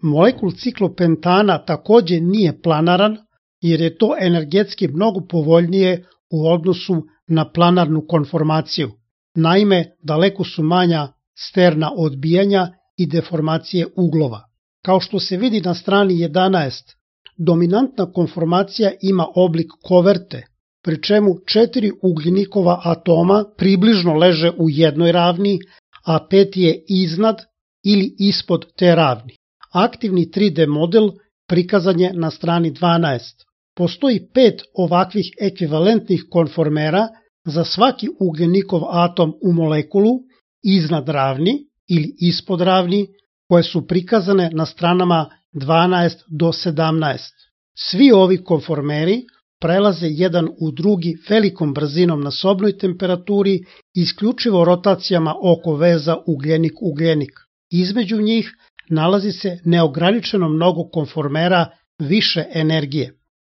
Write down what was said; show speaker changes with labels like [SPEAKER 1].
[SPEAKER 1] Molekul ciklopentana takođe nije planaran jer je to energetski mnogo povoljnije u odnosu na planarnu konformaciju. Naime, daleko su manja sterna odbijanja i deformacije uglova. Kao što se vidi na strani 11, dominantna konformacija ima oblik koverte, pri čemu 4 ugljenikova atoma približno leže u jednoj ravni, a 5 je iznad ili ispod te ravni. Aktivni 3D model prikazan je na strani 12. Postoji 5 ovakvih ekvivalentnih konformera za svaki ugljenikov atom u molekulu iznad ravni ili ispod ravni, koje su prikazane na stranama 12 do 17. Svi ovi konformeri prelaze jedan u drugi velikom brzinom na sobnoj temperaturi, isključivo rotacijama oko veza ugljenik-ugljenik. Između njih nalazi se neograničeno mnogo konformera više energije.